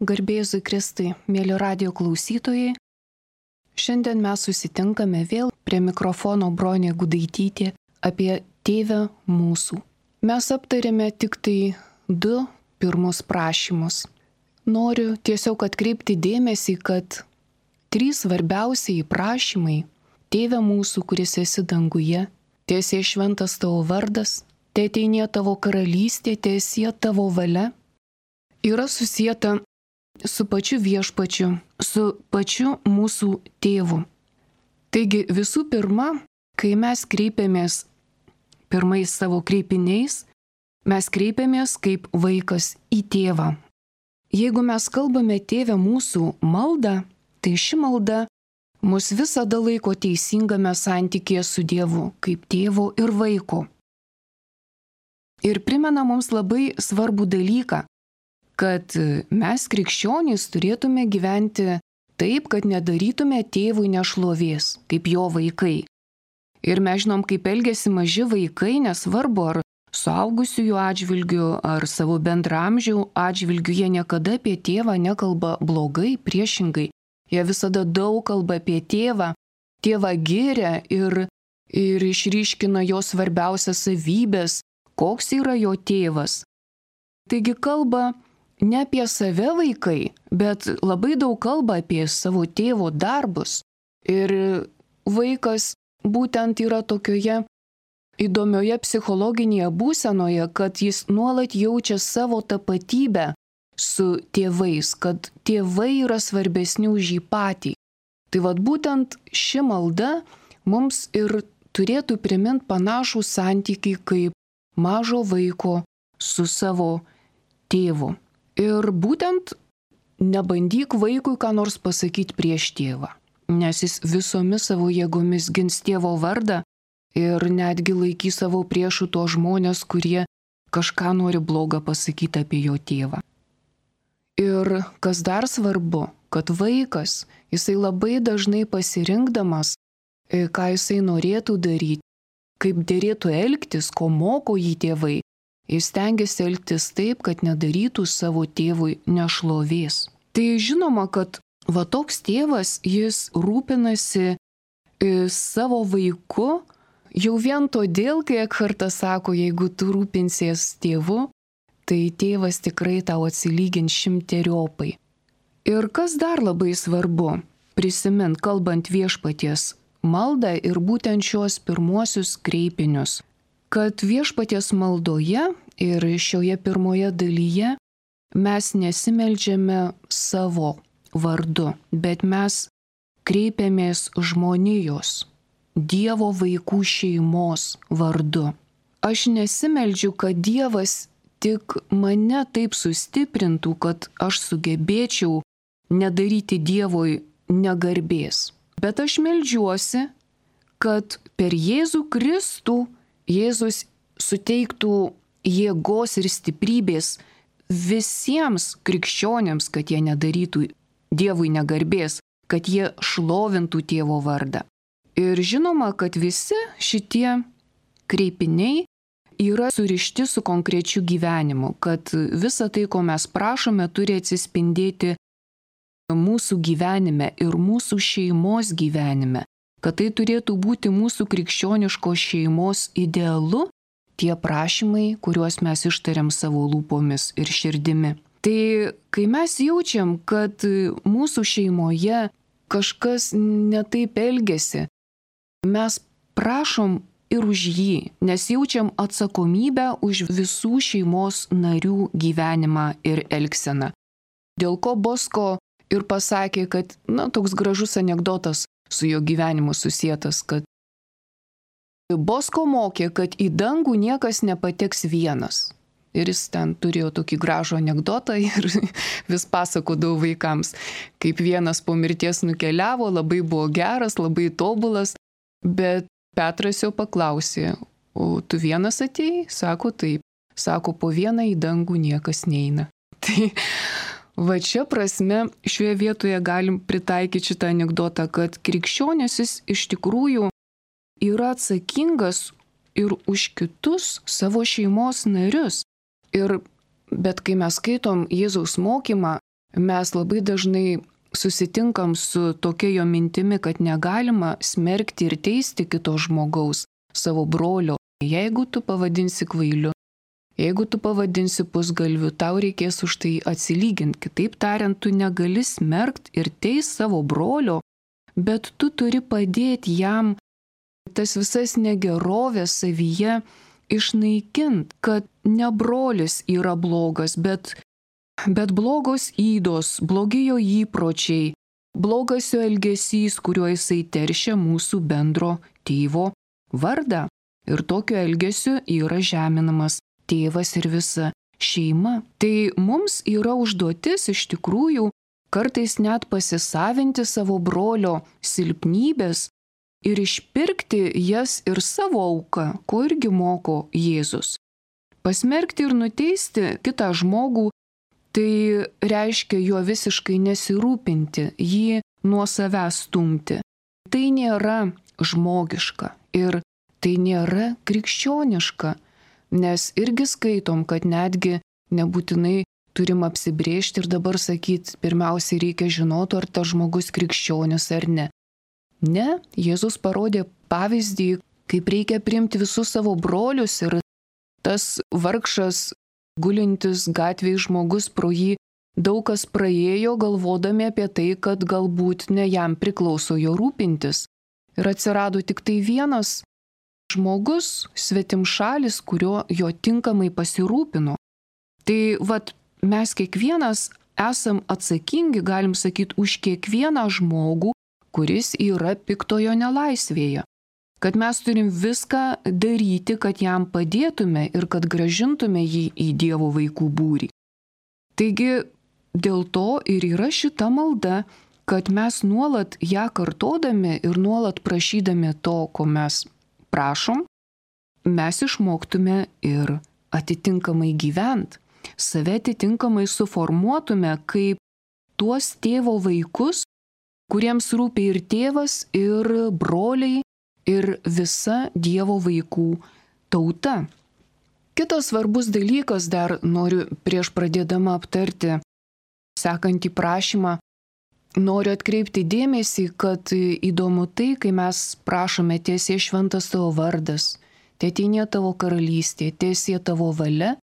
Garbė Jėzui Kristui, mėly radijo klausytojai. Šiandien mes susitinkame vėl prie mikrofono Bronė Gudaitytė apie Tėvę mūsų. Mes aptarėme tik tai 2 pirmus prašymus. Noriu tiesiog atkreipti dėmesį, kad 3 svarbiausiai prašymai – Tėve mūsų, kuris esi danguje, tiesie šventas tavo vardas, teateinie tavo karalystė, tiesie tavo valia – yra susieta su pačiu viešpačiu, su pačiu mūsų tėvu. Taigi visų pirma, kai mes kreipiamės pirmais savo kreipiniais, mes kreipiamės kaip vaikas į tėvą. Jeigu mes kalbame Tėve mūsų maldą, tai ši malda mus visada laiko teisingame santykėje su Dievu, kaip tėvo ir vaiko. Ir primena mums labai svarbų dalyką, kad mes krikščionys turėtume gyventi taip, kad nedarytume tėvui nešlovės, kaip jo vaikai. Ir mes žinom, kaip elgiasi maži vaikai, nesvarbu ar suaugusiųjų atžvilgių, ar savo bendramžių atžvilgių, jie niekada apie tėvą nekalba blogai, priešingai. Jie visada daug kalba apie tėvą, tėvą giria ir išryškina jo svarbiausias savybės, koks yra jo tėvas. Taigi kalba ne apie save vaikai, bet labai daug kalba apie savo tėvo darbus. Ir vaikas būtent yra tokioje įdomioje psichologinėje būsenoje, kad jis nuolat jaučia savo tapatybę su tėvais, kad tėvai yra svarbesni už jį patį. Tai vat būtent ši malda mums ir turėtų priminti panašų santykį kaip mažo vaiko su savo tėvu. Ir būtent nebandyk vaikui ką nors pasakyti prieš tėvą, nes jis visomis savo jėgomis gins tėvo vardą ir netgi laikys savo priešų tuos žmonės, kurie kažką nori blogą pasakyti apie jo tėvą. Ir kas dar svarbu, kad vaikas, jisai labai dažnai pasirinkdamas, ką jisai norėtų daryti, kaip derėtų elgtis, ko moko jį tėvai, jis stengiasi elgtis taip, kad nedarytų savo tėvui nešlovės. Tai žinoma, kad va toks tėvas, jis rūpinasi savo vaiku jau vien todėl, kai Ekhartas sako, jeigu tu rūpinsies tėvu, tai tėvas tikrai tau atsilygins 100-eriopai. Ir kas dar labai svarbu, prisimint, kalbant viešpaties maldą ir būtent šios pirmuosius kreipinius, kad viešpaties maldoje ir šioje pirmoje dalyje mes nesimeldžiame savo vardu, bet mes kreipiamės žmonijos, Dievo vaikų šeimos vardu. Aš nesimeldžiu, kad Dievas tik mane taip sustiprintų, kad aš sugebėčiau nedaryti Dievui negarbės. Bet aš meldžiuosi, kad per Jėzų Kristų Jėzus suteiktų jėgos ir stiprybės visiems krikščionėms, kad jie nedarytų Dievui negarbės, kad jie šlovintų tėvo vardą. Ir žinoma, kad visi šitie kreipiniai yra surišti su konkrečiu gyvenimu, kad visa tai, ko mes prašome, turi atsispindėti mūsų gyvenime ir mūsų šeimos gyvenime. Kad tai turėtų būti mūsų krikščioniškos šeimos idealu, tie prašymai, kuriuos mes ištariam savo lūpomis ir širdimi. Tai kai mes jaučiam, kad mūsų šeimoje kažkas netaip elgiasi, mes prašom ir už jį, nes jaučiam atsakomybę už visų šeimos narių gyvenimą ir elgseną. Dėl ko Bosko ir pasakė, kad, toks gražus anekdotas su jo gyvenimu susietas, kad Bosko mokė, kad į dangų niekas nepateks vienas. Ir jis ten turėjo tokį gražų anekdotą ir vis pasakodavo vaikams, kaip vienas po mirties nukeliavo, labai buvo geras, labai tobulas, bet Petras jau paklausė, o tu vienas atėjai? Sako taip. Sako, po vieną į dangų niekas neina. Tai va čia prasme šioje vietoje galim pritaikyti šitą anekdotą, kad krikščionis jis iš tikrųjų yra atsakingas ir už kitus savo šeimos narius. Bet kai mes skaitom Jėzaus mokymą, mes labai dažnai susitinkam su tokia jo mintimi, kad negalima smerkti ir teisti kito žmogaus, savo brolio. Jeigu tu pavadinsi kvailiu, jeigu tu pavadinsi pusgalviu, tau reikės už tai atsilyginti. Kitaip tariant, tu negali smerkti ir teisti savo brolio, bet tu turi padėti jam tas visas negerovės savyje išnaikinti, kad ne brolis yra blogas, bet blogos ydos, blogi jo įpročiai, blogas jo elgesys, kuriuo jisai teršia mūsų bendro tėvo vardą. Ir tokiu elgesiu yra žeminamas tėvas ir visa šeima. Tai mums yra užduotis iš tikrųjų kartais net pasisavinti savo brolio silpnybės ir išpirkti jas ir savo auką, ko irgi moko Jėzus. Pasmerkti ir nuteisti kitą žmogų, tai reiškia juo visiškai nesirūpinti, jį nuo savęs stumti. Tai nėra žmogiška ir tai nėra krikščioniška, nes irgi skaitom, kad netgi nebūtinai turim apsibrėžti ir dabar sakyti, pirmiausiai reikia žinoti, ar tas žmogus krikščionis ar ne. Ne, Jėzus parodė pavyzdį, kaip reikia priimti visus savo brolius ir tas vargšas gulintis gatvėje žmogus pro jį daug kas praėjo, galvodami apie tai, kad galbūt ne jam priklauso jo rūpintis. Ir atsirado tik tai vienas žmogus, svetimšalis, kurio jo tinkamai pasirūpino. Tai mes kiekvienas esam atsakingi, galim sakyti, už kiekvieną žmogų, kuris yra piktojo nelaisvėje. Kad mes turim viską daryti, kad jam padėtume ir kad gražintume jį į Dievo vaikų būrį. Taigi dėl to ir yra šita malda, kad mes nuolat ją kartodami ir nuolat prašydami to, ko mes prašom, mes išmoktume ir atitinkamai gyventi, save atitinkamai suformuotume kaip tuos tėvo vaikus, kuriems rūpi ir tėvas, ir broliai, ir visa Dievo vaikų tauta. Kitas svarbus dalykas dar noriu prieš pradėdama aptarti sekantį prašymą. Noriu atkreipti dėmesį, kad įdomu tai, kai mes prašome tiesie šventas tavo vardas, tėteinė tavo karalystė, tiesie tavo valia,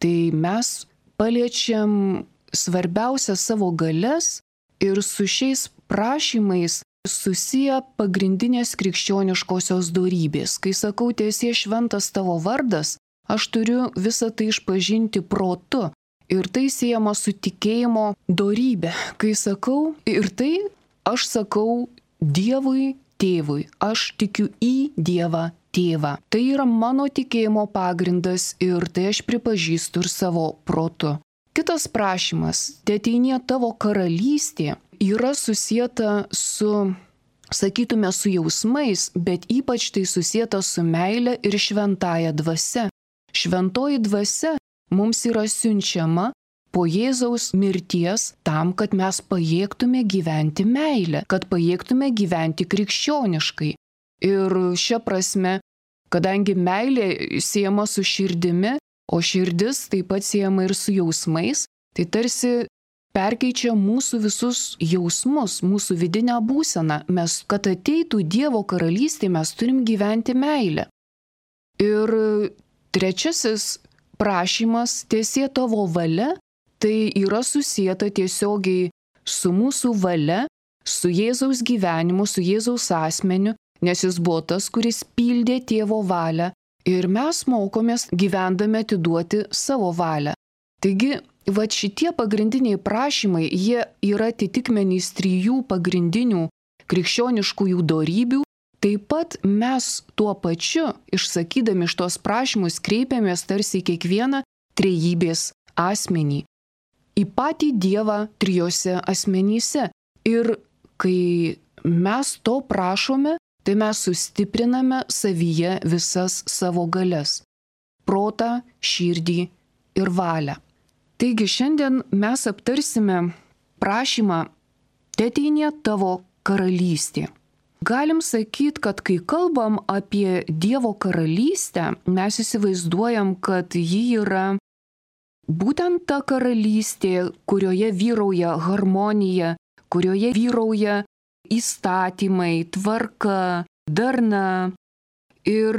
tai mes paliečiam svarbiausias savo galias ir su šiais prašymais susiję pagrindinės krikščioniškosios dorybės. Kai sakau tiesie šventas tavo vardas, aš turiu visą tai išpažinti protu. Ir tai siejama su tikėjimo dorybė. Kai sakau ir tai, aš sakau Dievui tėvui, aš tikiu į Dievą tėvą. Tai yra mano tikėjimo pagrindas ir tai aš pripažįstu ir savo protu. Kitas prašymas, tėteinie tavo karalystė, yra susieta su, sakytume, su jausmais, bet ypač tai susieta su meile ir šventąja dvasia. Šventoji dvasia mums yra siunčiama po Jėzaus mirties tam, kad mes pajėgtume gyventi meilę, kad pajėgtume gyventi krikščioniškai. Ir šia prasme, kadangi meilė siejama su širdimi, o širdis taip pat siejama ir su jausmais, tai tarsi perkeičia mūsų visus jausmus, mūsų vidinę būseną. Mes, kad ateitų Dievo karalystė, mes turim gyventi meilę. Ir trečiasis prašymas, tiesie tavo valia, tai yra susieta tiesiogiai su mūsų valia, su Jėzaus gyvenimu, su Jėzaus asmeniu, nes jis buvo tas, kuris pildė tėvo valią ir mes mokomės gyvendami atiduoti savo valią. Taigi, šitie pagrindiniai prašymai, jie yra atitikmenys 3 pagrindinių krikščioniškųjų dorybių. Taip pat mes tuo pačiu, išsakydami šitos prašymus, kreipiamės tarsi į kiekvieną trejybės asmenį, į patį Dievą trijose asmenyse. Ir kai mes to prašome, tai mes sustipriname savyje visas savo galias – protą, širdį ir valią. Taigi šiandien mes aptarsime prašymą tėteinie tavo karalystė. Galim sakyti, kad kai kalbam apie Dievo karalystę, mes įsivaizduojam, kad ji yra būtent ta karalystė, kurioje vyrauja harmonija, kurioje vyrauja įstatymai, tvarka, darna. Ir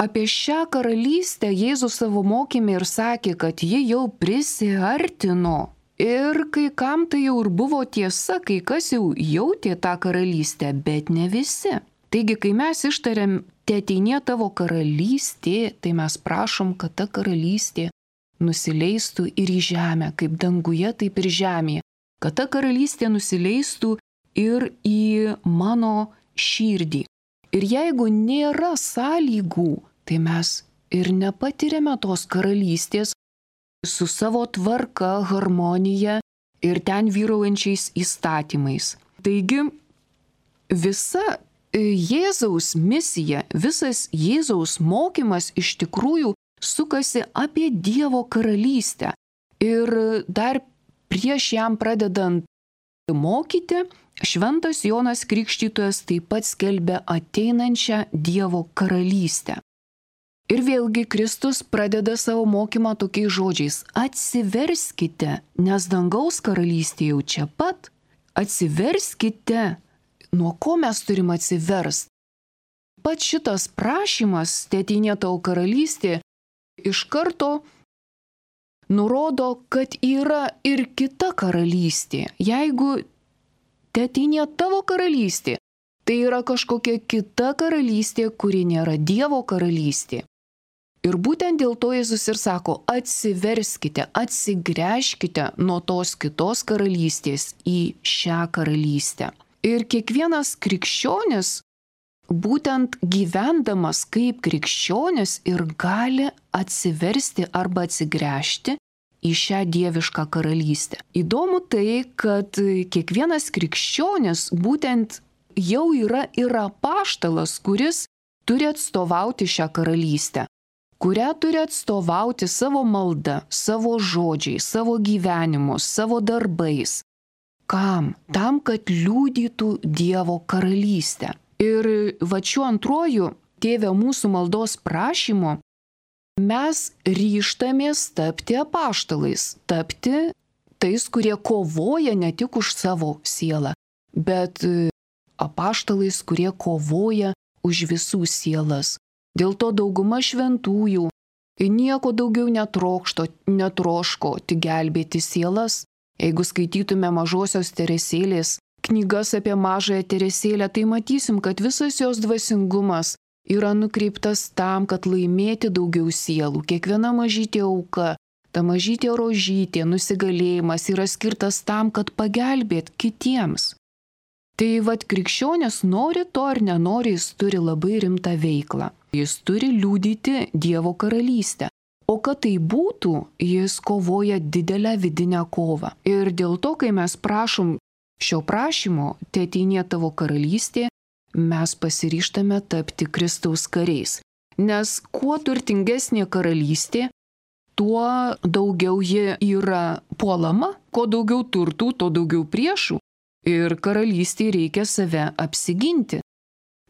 apie šią karalystę Jėzus savo mokyme ir sakė, kad ji jau prisiartino. Ir kai kam tai jau ir buvo tiesa, kai kas jau jautė tą karalystę, bet ne visi. Taigi, kai mes ištariam, teateinie tavo karalystė, tai mes prašom, kad ta karalystė nusileistų ir į žemę, kaip danguje, taip ir žemėje. Kad ta karalystė nusileistų ir į mano širdį. Ir jeigu nėra sąlygų, tai mes ir nepatiriame tos karalystės su savo tvarka, harmonija ir ten vyraujančiais įstatymais. Taigi, visa Jėzaus misija, visas Jėzaus mokymas iš tikrųjų sukasi apie Dievo karalystę. Ir dar prieš jam pradedant mokyti, šventas Jonas Krikštytojas taip pat skelbia ateinančią Dievo karalystę. Ir vėlgi Kristus pradeda savo mokymą tokiais žodžiais: atsiverskite, nes dangaus karalystė jau čia pat. Atsiverskite. Nuo ko mes turim atsiverst? Pats šitas prašymas, teateinie tavo karalystė, iš karto nurodo, kad yra ir kita karalystė. Jeigu teateinie tavo karalystė, tai yra kažkokia kita karalystė, kuri nėra Dievo karalystė. Ir būtent dėl to Jėzus ir sako: atsiverskite, atsigręžkite nuo tos kitos karalystės į šią karalystę. Ir kiekvienas krikščionis, būtent gyvendamas kaip krikščionis, ir gali atsiversti arba atsigręžti į šią dievišką karalystę. Įdomu tai, kad kiekvienas krikščionis būtent jau yra ir apaštalas, kuris turi atstovauti šią karalystę, kurią turi atstovauti savo malda, savo žodžiais, savo gyvenimu, savo darbais. Kam? Tam, kad liudytų Dievo karalystę. Ir va šiuo antruoju Tėve mūsų maldos prašymu mes ryžtamės tapti apaštalais, tapti tais, kurie kovoja ne tik už savo sielą, bet apaštalais, kurie kovoja už visų sielas. Dėl to dauguma šventųjų nieko daugiau netroško, tik gelbėti sielas. Jeigu skaitytume mažosios Teresėlės knygas apie mažąją Teresėlę, tai matysim, kad visas jos dvasingumas yra nukreiptas tam, kad laimėti daugiau sielų. Kiekviena mažytė auka, ta mažytė rožytė, nusigalėjimas yra skirtas tam, kad pagelbėt kitiems. Tai vat krikščionis nori to ar nenori, jis turi labai rimtą veiklą. Jis turi liudyti Dievo karalystę. O kad tai būtų, jis kovoja didelę vidinę kovą. Ir dėl to, kai mes prašom šio prašymo, teateinie tavo karalystė, mes pasiryžtame tapti Kristaus kariais. Nes kuo turtingesnė karalystė, tuo daugiau ji yra puolama, kuo daugiau turtų, tuo daugiau priešų. Ir karalystėje reikia save apsiginti.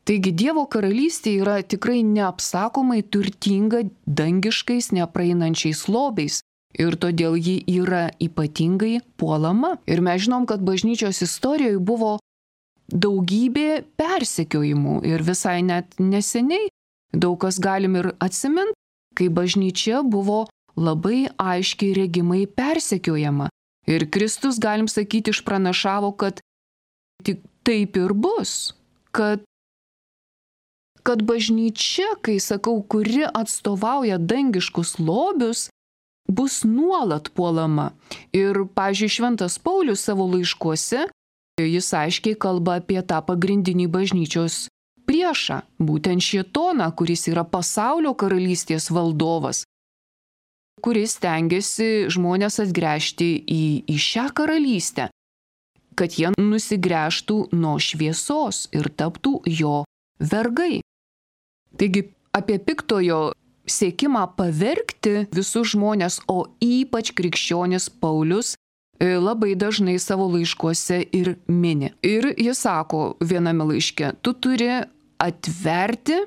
Taigi Dievo karalystė yra tikrai neapsakomai turtinga dangiškais nepraeinančiais lobiais ir todėl ji yra ypatingai puolama. Ir mes žinom, kad bažnyčios istorijoje buvo daugybė persekiojimų ir visai net neseniai daug kas galim ir atsiminti, kai bažnyčia buvo labai aiškiai regimai persekiojama. Ir Kristus, galim sakyti, išpranašavo, kad tik taip ir bus, kad bažnyčia, kai sakau, kuri atstovauja dangiškus lobius, bus nuolat puolama. Ir, pavyzdžiui, šventas Paulius savo laiškuose, jis aiškiai kalba apie tą pagrindinį bažnyčios priešą, būtent šėtoną, kuris yra pasaulio karalystės valdovas, kuris stengiasi žmonės atgręžti į šią karalystę, kad jie nusigręžtų nuo šviesos ir taptų jo vergai. Taigi apie piktojo siekimą pavergti visus žmonės, o ypač krikščionis Paulius labai dažnai savo laiškuose ir mini. Ir jis sako viename laiške: tu turi atverti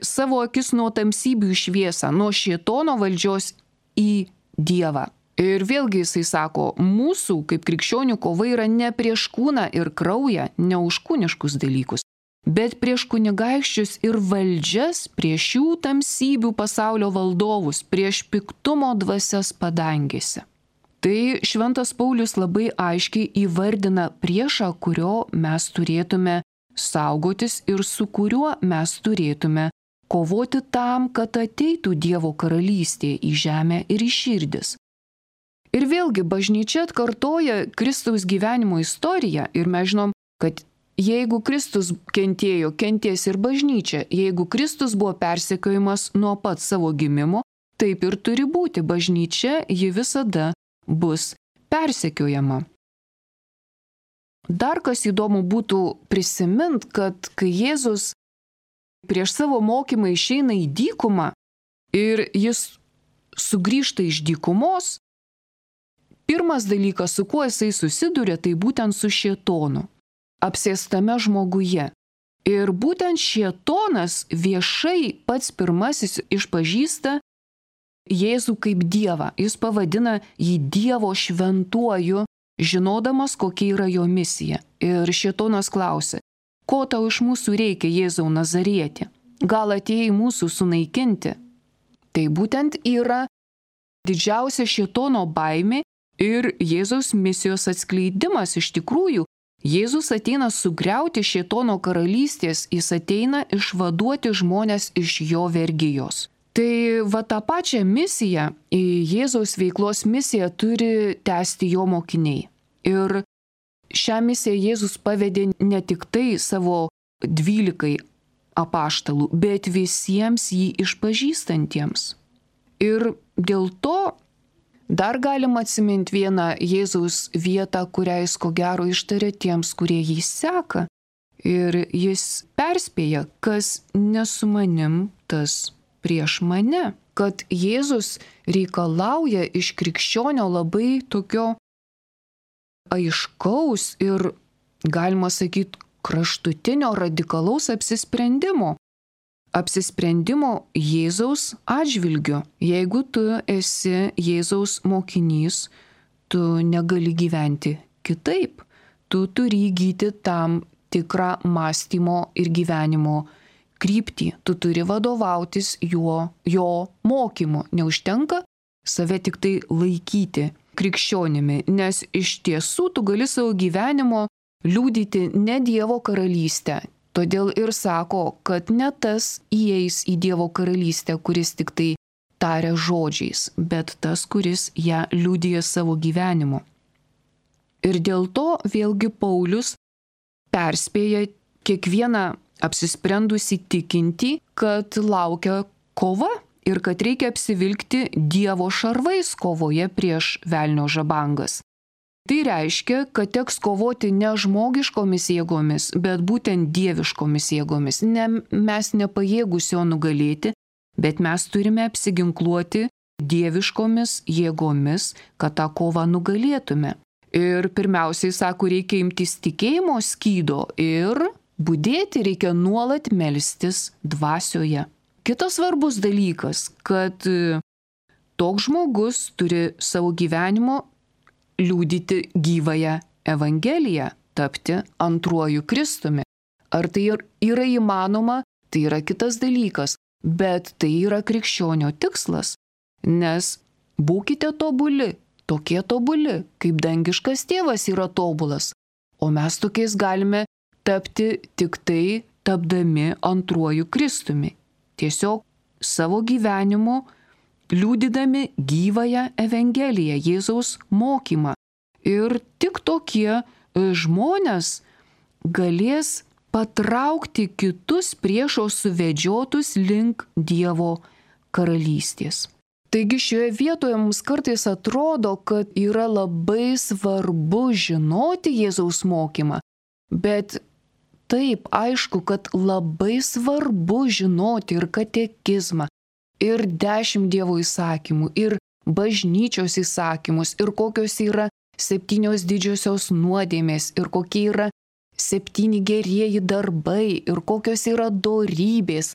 savo akis nuo tamsybių į šviesą, nuo šėtono valdžios į Dievą. Ir vėlgi jisai sako, mūsų kaip krikščionių kova yra ne prieš kūną ir kraują, ne už kūniškus dalykus, bet prieš kunigaikščius ir valdžias, prieš jų tamsybių pasaulio valdovus, prieš piktumo dvasias padangėse. Tai šventas Paulius labai aiškiai įvardina priešą, kurio mes turėtume saugotis ir su kuriuo mes turėtume kovoti tam, kad ateitų Dievo karalystė į žemę ir į širdis. Ir vėlgi bažnyčia atkartoja Kristaus gyvenimo istoriją ir mes žinom, kad jeigu Kristus kentėjo, kentės ir bažnyčia. Jeigu Kristus buvo persekiojimas nuo pat savo gimimo, taip ir turi būti. Bažnyčia, ji visada bus persekiojama. Dar kas įdomu būtų prisimint, kad kai Jėzus prieš savo mokymą išeina į dykumą ir jis sugrįžta iš dykumos, pirmas dalykas, su kuo jisai susiduria, tai būtent su šėtonu, apsėstame žmoguje. Ir būtent šėtonas viešai pats pirmasis išpažįsta Jėzų kaip Dievą. Jis pavadina jį Dievo šventuoju, žinodamas, kokia yra jo misija. Ir šėtonas klausia, ko tau iš mūsų reikia, Jėzau Nazarieti? Gal atėjai mūsų sunaikinti? Tai būtent yra didžiausia šėtono baimė ir Jėzaus misijos atskleidimas. Iš tikrųjų, Jėzus ateina sugriauti šėtono karalystės, jis ateina išvaduoti žmones iš jo vergijos. Tai va tą pačią misiją, Jėzaus veiklos misiją turi tęsti jo mokiniai. Ir šią misiją Jėzus pavedė ne tik tai savo 12 apaštalų, bet visiems jį išpažįstantiems. Ir dėl to dar galima atsiminti vieną Jėzaus vietą, kurią jis ko gero ištarė tiems, kurie jį seka. Ir jis perspėja, kas ne su manim, tas prieš mane. Kad Jėzus reikalauja iš krikščionio labai tokio aiškaus ir, galima sakyti, kraštutinio radikalaus apsisprendimo. Apsisprendimo Jėzaus atžvilgiu. Jeigu tu esi Jėzaus mokinys, tu negali gyventi kitaip. Tu turi įgyti tam tikrą mąstymo ir gyvenimo kryptį. Tu turi vadovautis jo mokymu. Neužtenka save tik tai laikyti krikščionimi, nes iš tiesų tu gali savo gyvenimo liudyti ne Dievo karalystę. Todėl ir sako, kad ne tas įeis į Dievo karalystę, kuris tik tai taria žodžiais, bet tas, kuris ją liudija savo gyvenimu. Ir dėl to vėlgi Paulius perspėja kiekvieną apsisprendusi tikinti, kad laukia kova ir kad reikia apsivilkti Dievo šarvais kovoje prieš velnio žabangas. Tai reiškia, kad teks kovoti ne žmogiškomis jėgomis, bet būtent dieviškomis jėgomis. Mes nepajėgus jo nugalėti, bet mes turime apsiginkluoti dieviškomis jėgomis, kad tą kovą nugalėtume. Ir pirmiausiai, sako, reikia imtis tikėjimo skydo ir budėti, reikia nuolat melstis dvasioje. Kitas svarbus dalykas, kad toks žmogus turi savo gyvenimo liudyti gyvąją Evangeliją, tapti antruoju Kristumi. Ar tai yra įmanoma, tai yra kitas dalykas, bet tai yra krikščionio tikslas, nes būkite tobuli, tokie tobuli, kaip dangiškas tėvas yra tobulas, o mes tokiais galime tapti tik tai tapdami antruoju Kristumi. Tiesiog savo gyvenimu liudydami gyvąją Evangeliją, Jėzaus mokymą. Ir tik tokie žmonės galės patraukti kitus priešo suvedžiotus link Dievo karalystės. Taigi šioje vietoje mums kartais atrodo, kad yra labai svarbu žinoti Jėzaus mokymą, bet taip, aišku, kad labai svarbu žinoti ir katekizmą, ir 10 Dievo įsakymų, ir bažnyčios įsakymus, ir kokios yra 7 didžiosios nuodėmės, ir kokie yra 7 gerieji darbai, ir kokios yra dorybės.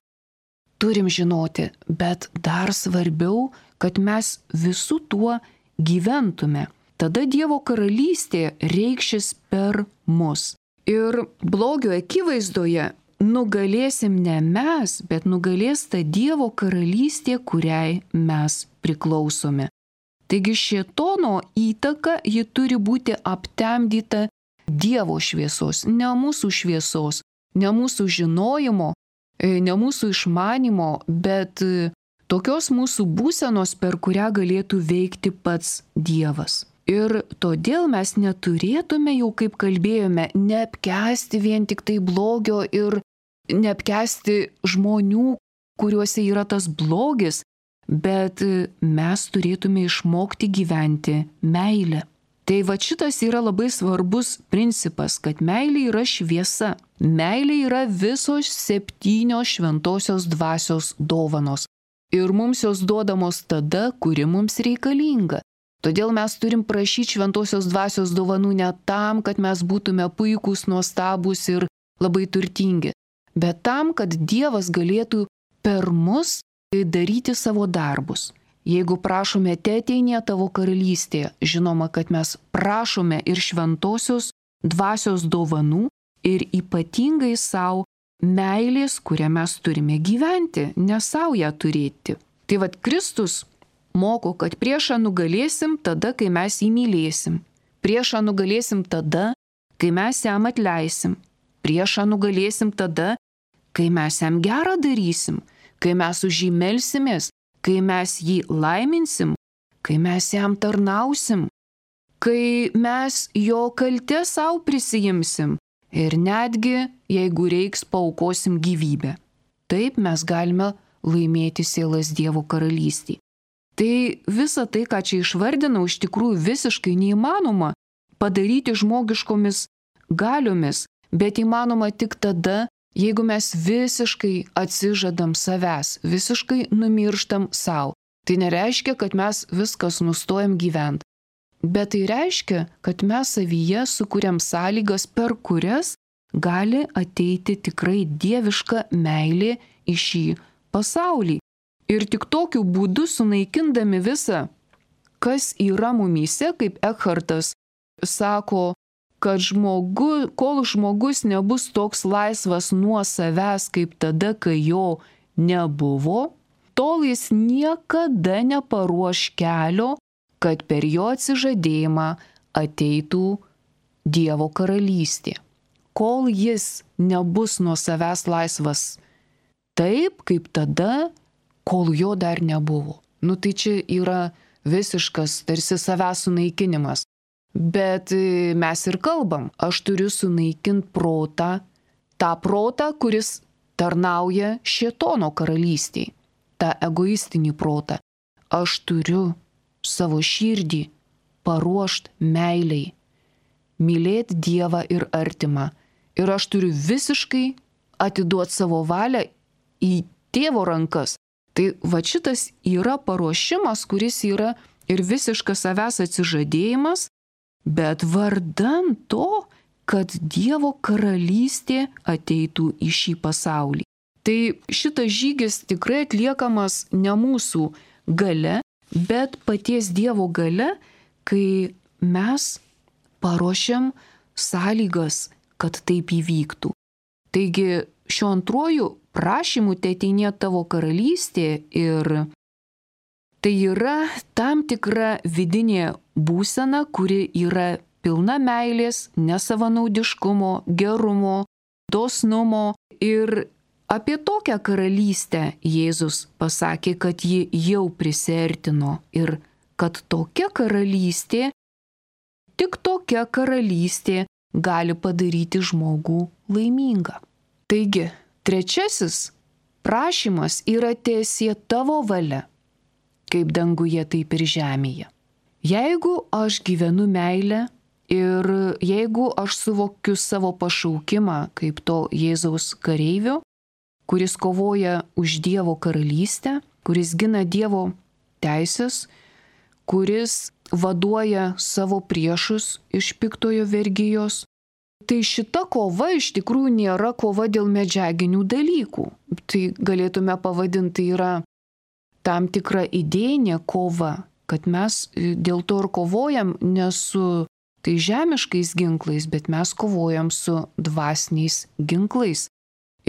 Turim žinoti, bet dar svarbiau, kad mes visų tuo gyventume. Tada Dievo karalystė reikšis per mus. Ir blogio akivaizdoje nugalėsim ne mes, bet nugalės ta Dievo karalystė, kuriai mes priklausome. Taigi šėtono įtaka ji turi būti aptemdyta Dievo šviesos, ne mūsų šviesos, ne mūsų žinojimo, ne mūsų išmanimo, bet tokios mūsų būsenos, per kurią galėtų veikti pats Dievas. Ir todėl mes neturėtume, jau kaip kalbėjome, neapkęsti vien tik tai blogio ir neapkęsti žmonių, kuriuose yra tas blogis, bet mes turėtume išmokti gyventi meilę. Tai va šitas yra labai svarbus principas, kad meilė yra šviesa. Meilė yra visos 7 šventosios dvasios dovanos. Ir mums jos duodamos tada, kuri mums reikalinga. Todėl mes turim prašyti šventosios dvasios dovanų ne tam, kad mes būtume puikūs, nuostabūs ir labai turtingi, bet tam, kad Dievas galėtų per mus daryti savo darbus. Jeigu prašome, teateinie tavo karalystė, žinoma, kad mes prašome ir šventosios dvasios dovanų ir ypatingai savo meilės, kurią mes turime gyventi, ne savo ją turėti. Tai vad Kristus moko, kad priešą nugalėsim tada, kai mes jį mylėsim. Priešą nugalėsim tada, kai mes jam atleisim. Priešą nugalėsim tada, kai mes jam gerą darysim, kai mes už jį melsimės, kai mes jį laiminsim, kai mes jam tarnausim, kai mes jo kaltę savo prisijimsim ir netgi, jeigu reiks, paaukosim gyvybę. Taip mes galime laimėti sielas Dievo karalystį. Tai visa tai, ką čia išvardinau, iš tikrųjų visiškai neįmanoma padaryti žmogiškomis galiomis, bet įmanoma tik tada, jeigu mes visiškai atsižadam savęs, visiškai numirštam savo. Tai nereiškia, kad mes viskas nustojam gyventi, bet tai reiškia, kad mes savyje sukuriam sąlygas, per kurias gali ateiti tikrai dieviška meilė į šį pasaulį. Ir tik tokiu būdu sunaikindami visą, kas yra mumyse, kaip Ekhartas sako, kad kol žmogus nebus toks laisvas nuo savęs, kaip tada, kai jo nebuvo, tol jis niekada neparuoš kelio, kad per jo atsižadėjimą ateitų Dievo karalystė. Kol jis nebus nuo savęs laisvas taip, kaip tada, kol jo dar nebuvo. Tai čia yra visiškas tarsi savęs sunaikinimas. Bet mes ir kalbam, aš turiu sunaikinti protą, tą protą, kuris tarnauja šėtono karalystiai, tą egoistinį protą. Aš turiu savo širdį paruošti meiliai, mylėti Dievą ir artimą. Ir aš turiu visiškai atiduoti savo valią į Tėvo rankas. Tai va šitas yra paruošimas, kuris yra ir visiškas savęs atsižadėjimas, bet vardan to, kad Dievo karalystė ateitų į šį pasaulį. Tai šitas žygis tikrai atliekamas ne mūsų gale, bet paties Dievo gale, kai mes paruošiam sąlygas, kad taip įvyktų. Taigi šiuo antruoju prašymu teateinie tavo karalystė ir tai yra tam tikra vidinė būsena, kuri yra pilna meilės, nesavanaudiškumo, gerumo, dosnumo. Ir apie tokią karalystę Jėzus pasakė, kad ji jau prisiartino ir kad tokia karalystė, tik tokia karalystė gali padaryti žmogų laimingą. Taigi, trečiasis prašymas yra teesie tavo valia, kaip danguje, taip ir žemėje. Jeigu aš gyvenu meilę ir jeigu aš suvokiu savo pašaukimą kaip to Jėzaus kareivio, kuris kovoja už Dievo karalystę, kuris gina Dievo teisės, kuris vaduoja savo priešus iš piktojo vergijos, tai šita kova iš tikrųjų nėra kova dėl medžiaginių dalykų. Tai galėtume pavadinti yra tam tikra idėjinė kova, kad mes dėl to ir kovojam ne su tai žemiškais ginklais, bet mes kovojam su dvasiniais ginklais.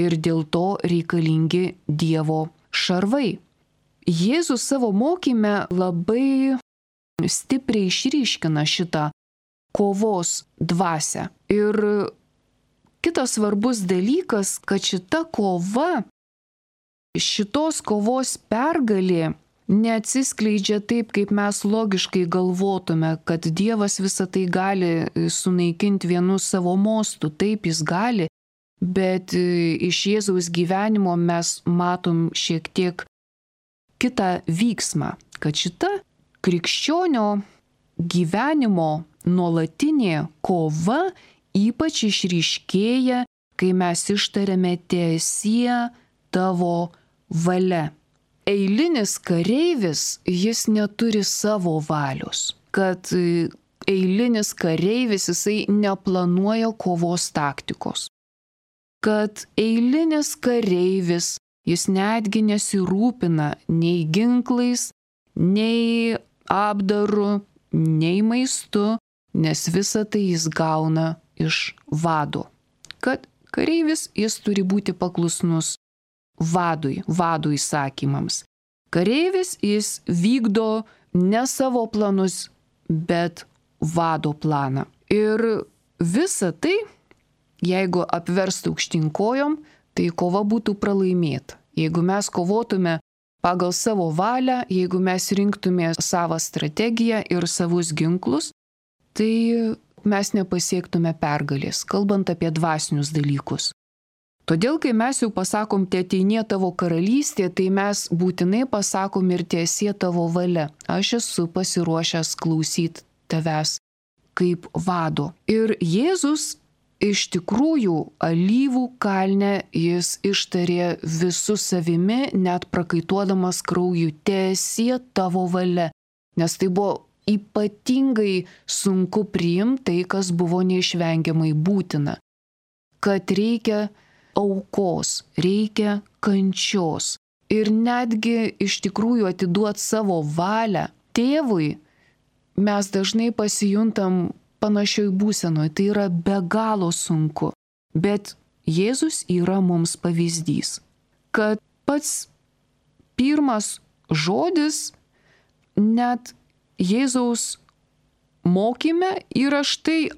Ir dėl to reikalingi Dievo šarvai. Jėzus savo mokyme labai stipriai išryškina šitą kovos dvasią. Ir kitas svarbus dalykas, kad šita kova, šitos kovos pergalė neatsiskleidžia taip, kaip mes logiškai galvotume, kad Dievas visą tai gali sunaikinti vienu savo mostu. Taip, jis gali, bet iš Jėzaus gyvenimo mes matom šiek tiek kitą vyksmą, kad šita krikščionio gyvenimo nuolatinė kova ypač išryškėja, kai mes ištariame teesie tavo valia. Eilinis kareivis, jis neturi savo valios, kad eilinis kareivis, jisai neplanuoja kovos taktikos, kad eilinis kareivis, jis netgi nesirūpina nei ginklais, nei apdaru, nei maistu, nes visą tai jis gauna iš vado. Kad kareivis, jis turi būti paklusnus vado įsakymams. Kareivis, jis vykdo ne savo planus, bet vado planą. Ir visa tai, jeigu apverstų aukštyn kojom, tai kova būtų pralaimėta. Jeigu mes kovotume pagal savo valią, jeigu mes rinktume savo strategiją ir savus ginklus, tai mes nepasiektume pergalės, kalbant apie dvasinius dalykus. Todėl, kai mes jau pasakom, teateinie tavo karalystė, tai mes būtinai pasakom ir teesie tavo valia. Aš esu pasiruošęs klausyti tavęs kaip vado. Ir Jėzus iš tikrųjų alyvų kalne jis ištarė visu savimi, net prakaituodamas krauju, teesie tavo valia. Nes tai buvo ypatingai sunku priimti tai, kas buvo neišvengiamai būtina. Kad reikia aukos, reikia kančios. Ir netgi iš tikrųjų atiduoti savo valią tėvui, mes dažnai pasijuntam panašioj būsenoje, tai yra be galo sunku. Bet Jėzus yra mums pavyzdys, kad pats pirmas žodis net Jėzaus mokyme yra štai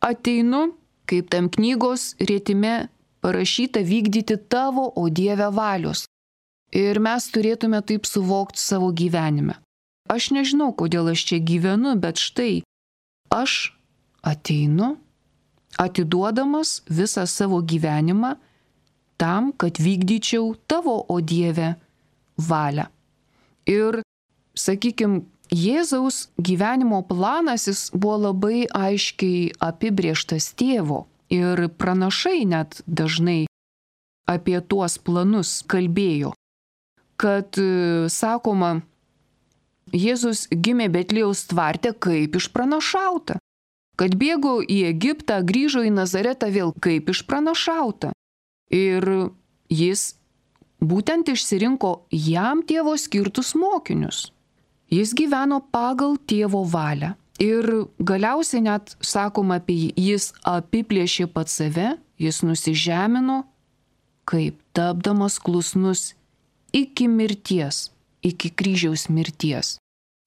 ateinu, kaip tam knygos rėtime parašyta, vykdyti tavo, o Dieve, valios. Ir mes turėtume taip suvokti savo gyvenime. Aš nežinau, kodėl aš čia gyvenu, bet štai aš ateinu, atiduodamas visą savo gyvenimą tam, kad vykdyčiau tavo, o Dieve, valią. Ir, sakykime, Jėzaus gyvenimo planas jis buvo labai aiškiai apibrėžtas tėvo. Ir pranašai net dažnai apie tuos planus kalbėjo, kad, sakoma, Jėzus gimė Betliejaus tvarte kaip išpranašauta, kad bėgo į Egiptą, grįžo į Nazaretą vėl kaip išpranašauta. Ir jis būtent išsirinko jam tėvo skirtus mokinius. Jis gyveno pagal tėvo valią. Ir galiausiai net, sakoma, apie jis apiplėšė pats save, jis nusižemino, kaip tapdamas klusnus iki mirties, iki kryžiaus mirties.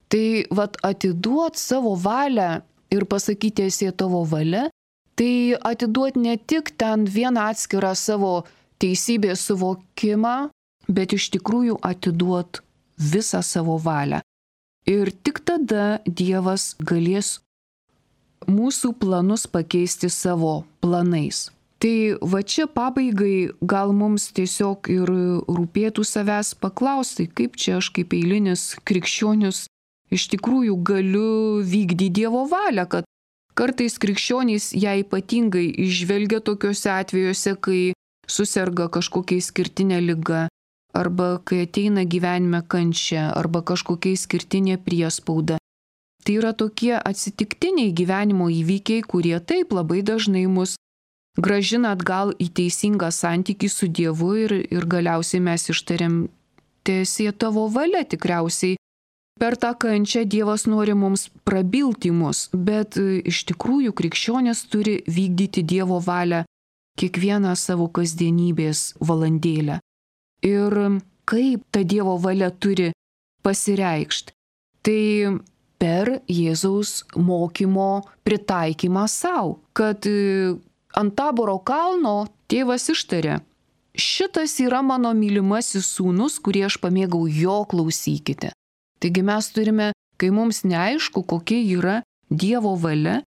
Tai atiduot savo valią ir pasakyti teesie tavo valia, tai atiduot ne tik ten vieną atskirą savo teisybės suvokimą, bet iš tikrųjų atiduot visą savo valią. Ir tik tada Dievas galės mūsų planus pakeisti savo planais. Tai čia pabaigai gal mums tiesiog ir rūpėtų savęs paklausti, kaip čia aš kaip eilinis krikščionis iš tikrųjų galiu vykdyti Dievo valią, kad kartais krikščionys ją ypatingai išvelgia tokiuose atvejuose, kai suserga kažkokia išskirtinė liga, arba kai ateina gyvenime kančia, arba kažkokia išskirtinė priespauda. Tai yra tokie atsitiktiniai gyvenimo įvykiai, kurie taip labai dažnai mus grąžina atgal į teisingą santykį su Dievu ir galiausiai mes ištariam teesie tavo valia. Tikriausiai per tą kančią Dievas nori mums prabilti mus, bet iš tikrųjų krikščionis turi vykdyti Dievo valią kiekvieną savo kasdienybės valandėlę. Ir kaip ta Dievo valia turi pasireikšti? Tai per Jėzaus mokymo pritaikymą savo, kad ant Taboro kalno tėvas ištarė: šitas yra mano mylimasis sūnus, kurį aš pamėgau, jo klausykite. Taigi mes turime, kai mums neaišku, kokia yra Dievo valia,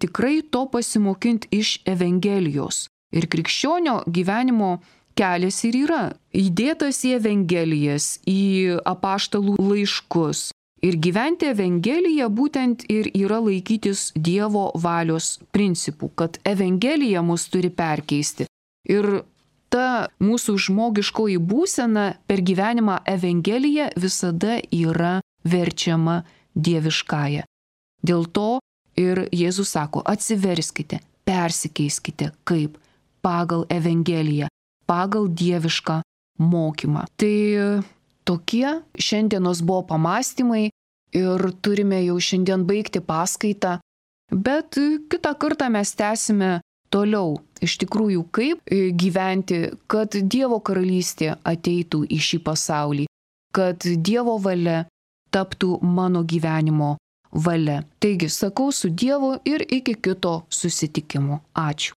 tikrai to pasimokinti iš Evangelijos. Ir krikščionio gyvenimo kelias ir yra įdėtas į Evangelijas, į apaštalų laiškus. Ir gyventi Evangeliją būtent ir yra laikytis Dievo valios principų, kad Evangelija mus turi perkeisti. Ir ta mūsų žmogiškoji būsena per gyvenimą Evangelija visada yra verčiama dieviškąja. Dėl to ir Jėzus sako: atsiverskite, persikeiskite kaip pagal Evangeliją, pagal dievišką mokymą. Tai tokie šiandienos buvo pamąstymai ir turime jau šiandien baigti paskaitą, bet kitą kartą mes tęsime toliau. Iš tikrųjų, kaip gyventi, kad Dievo karalystė ateitų į šį pasaulį, kad Dievo valia taptų mano gyvenimo valia. Taigi, sakau su Dievu ir iki kito susitikimo. Ačiū.